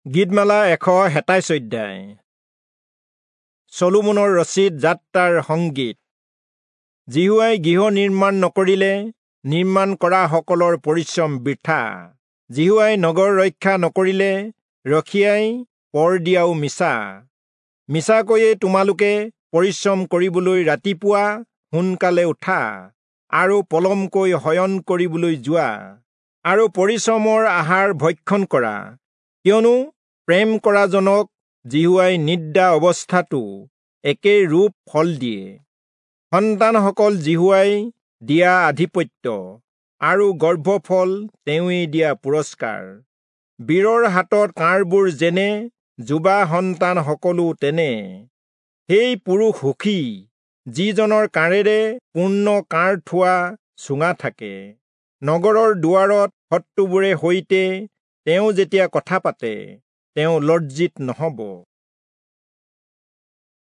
গীতমালা 127 অধ্যায়। চলোমনৰ ৰচিত যাত্ৰাৰ সংগীত। যিহোৱাই গৃহ নিৰ্মাণ নকৰিলে নিৰ্মাণ কৰাসকলৰ পৰিশ্ৰম বৃথা। যিহোৱাই নগৰ ৰক্ষা নকৰিলে ৰখীয়াই পৰ দিয়াও মিছা। মিছাকৈয়ে তোমালোকে পৰিশ্ৰম কৰিবলৈ ৰাতিপুৱা সোনকালে উঠা আৰু পলমকৈ শয়ন কৰিবলৈ যোৱা আৰু পৰিশ্ৰমৰ আহাৰ ভক্ষণ কৰা, কিয়নো প্ৰেম কৰাজনক যিহোৱাই নিদ্ৰা অৱস্থাতো একে ৰূপ ফল দিয়ে। সন্তানসকল যিহোৱাই দিয়া আধিপত্য আৰু গৰ্ভফল তেওঁৱেই দিয়া পুৰস্কাৰ। বীৰৰ হাতত কাঁড়বোৰ যেনে, যুৱা সন্তান সকলো তেনে। সেই পুৰুষ সুখী যিজনৰ কাঁড়েৰে পূৰ্ণ কাঁড় থোৱা চুঙা থাকে। নগৰৰ দুৱাৰত শত্ৰুবোৰে সৈতে তেওঁ যেতিয়া কথা পাতে, তেওঁ লজ্জিত নহব।